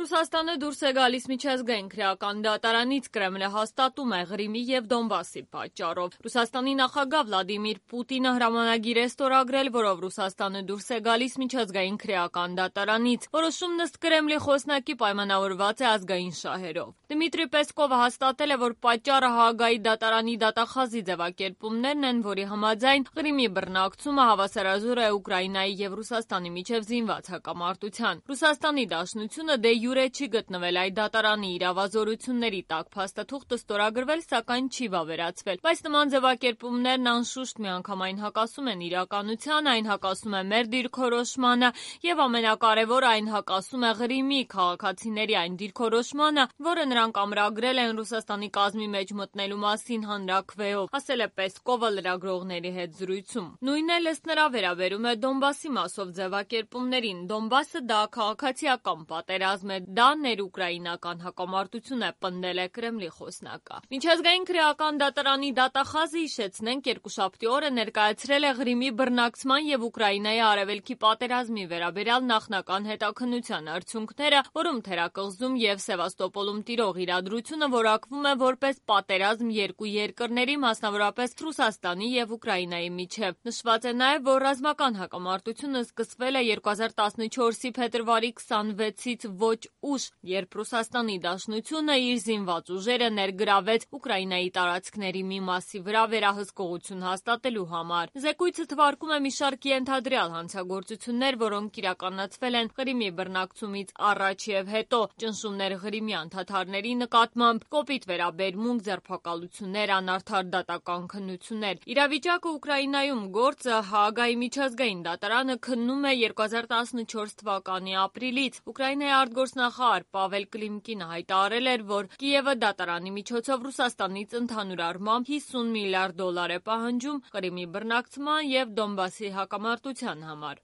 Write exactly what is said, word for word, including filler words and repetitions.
Ռուսաստանը դուրս է գալիս միջազգային քրեական դատարանից, Կրեմլը հաստատում է Ղրիմի և Դոնբասի պատճառով։ Ռուսաստանի նախագահ Վլադիմիր Պուտինը հրամանագիր է ստորագրել, որով Ռուսաստանը դուրս է գալիս միջազգային քրեական դատարանից։ Որոշումն ըստ Կրեմլի խոսնակի պայմանավորված է ազգային շահերով։ Դմիտրի Պեսկովը հաստատել է, որ պատճառը Հաագայի դատարանի դատախազի ձևակերպումներն են, որի համաձայն Ղրիմի բռնակցումը հավասարազոր է Ուկրաինայի և Ռուսաստանի միջև զինված հակամարտության։ Ռուսաստանի Դաշնությունը դե յուրե չի գտնվել այդ դատարանի իրավազորությունների տակ, փաստաթուղթը ստորագրվել, սակայն չի վավերացվել։ Բայց նման ձևակերպումներն անշուշտ միանգամայն հակասում են իրականությանը, այն հակասում է մեր դիրքորոշմանը և ամենակարևորը այն հակասում է Ղրիմի քաղաքացիների այն դիրքորոշմանը, որը նրանք ամրագրել են Ռուսաստանի կազմի մեջ մտնելու մասին հանրաքվեով, ասել է Պեսկովը լրագրողների հետ զրույցում։ Նույնն էլ ըստ նրա վերաբերում է Դոնբասի մասով ձևակերպումներին։ Դոնբասը դա քաղաքացիական պատերազմ է, դա ներուկրաինական հակամարտություն է, պնդել է Կրեմլի խոսնակը։ Միջազգային քրեական դատարանի դատախազը, հիշեցնենք, երկուշաբթի օրը ներկայացրել է Ղրիմի բռնակցման և Ուկրաինայի արևելքի պատերազմի վերաբերյալ նախնական հետաքննության արդյունքները, որում թերակղզում և Սևաստոպոլում տիրող իրադրությունը որակվում է որպես պատերազմ երկու երկրների, մասնավորապես Ռուսաստանի և Ուկրաինայի միջև։ Նշված է նաև, որ ռազմական հակամարտությունը սկսվել է երկու հազար տասնչորսի փետրվարի քսանվեցից ոչ ուշ, երբ Ռուսաստանի Դաշնությունը իր զինված ուժերը ներգրավեց Ուկրաինայի տարածքների մի մասի վրա վերահսկողություն հաստատելու համար։ Զեկույցը թվարկում է մի շարք ենթադրյալ հանցագործություններ, որոնք իրականացվել են Ղրիմի բռնակցումից առաջ և հետո, ճնշումներ ղրիմյան թաթարների նկատմամբ, կոպիտ վերաբերմունք, ձերբակալություններ, անարդար դատական քննություններ։ Իրավիճակը Ուկրաինայում գործը Հաագայի միջազգային դատարանը քննում է երկու հազար տասնչորս թվականի ապրիլից։ Ուկրաինայի արտգործնախարար Պավել Կլիմկինը հայտարարել էր, որ Կիևը դատարանի միջոցով Ռուսաստանից ընդհանուր առմամբ հիսուն միլիարդ դոլար է պահանջում Ղրիմի բռնակցման և Դոնբասի հակամարտության համար։